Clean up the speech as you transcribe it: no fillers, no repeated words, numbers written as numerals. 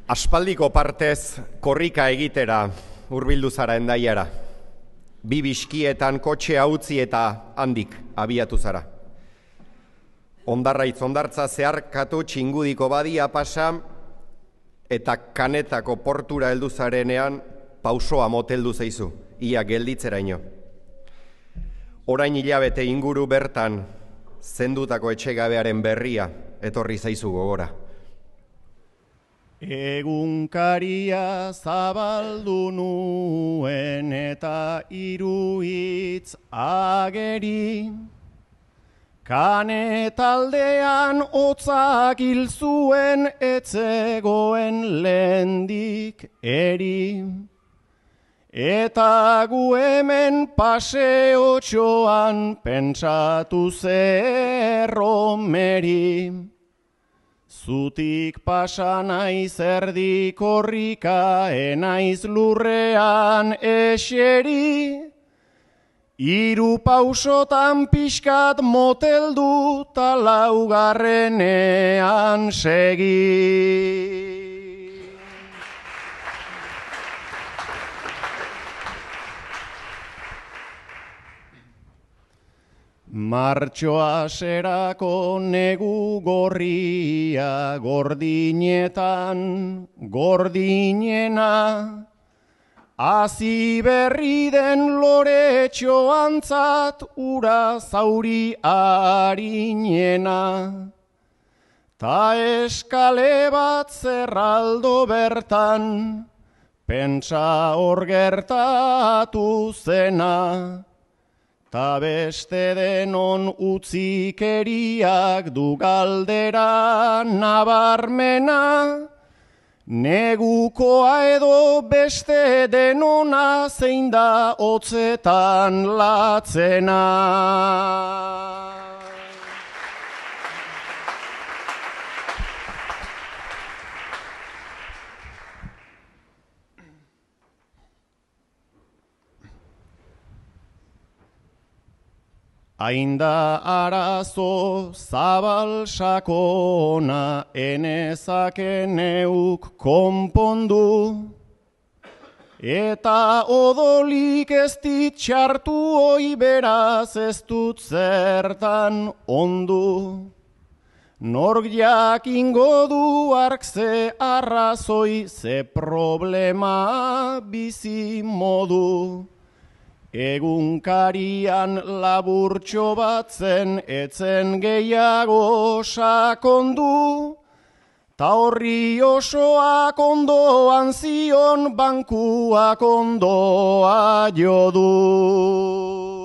Aspaldiko partez korrika egitera hurbildu zara Hendaiara. Bi biskietan kotxea utzi eta handik abiatu zara. Ondarraitz ondartza zeharkatu txingudiko badia pasa eta Kanetako portura heldu zarenean pausoa moteldu zaizu, ia gelditzeraino. Orain hilabete inguru bertan zendutako etxegabearen berria etorri zaizu gogora. Egunkaria zabaldu nuen eta hiru hitz ageri, Kanetaldean hotzak hil zuen etzegoen lehendik eri, eta gu hemen paseotxoan pentsatu zerromeri. Zutik pasa naiz erdi korrika, enaiz lurrean eseri, hiru pausotan pixkat moteldu ta laugarrenean segi. Martxoa serako negu gorria gordinetan gordinena, hazi berri den loretxoantzat ura zauri harinena. Ta eskale bat zerraldo bertan, pentsa hor gertatu zena. Ta beste denon utzikeriak du galdera nabarmena, negukoa edo beste denona zein da hotzetan latzena. Ainda arazo zabal sakona enezake neuk konpondu, eta odolik ez ditxartu hoi beraz ez dut zertan ondu. Nork jakingo du ark ze arrazoi, ze problema bizi modu. Egunkarian laburtxo batzen etzen gehiago sakondu, ta horri osoak ondoan zion bankuak ondoa jodu.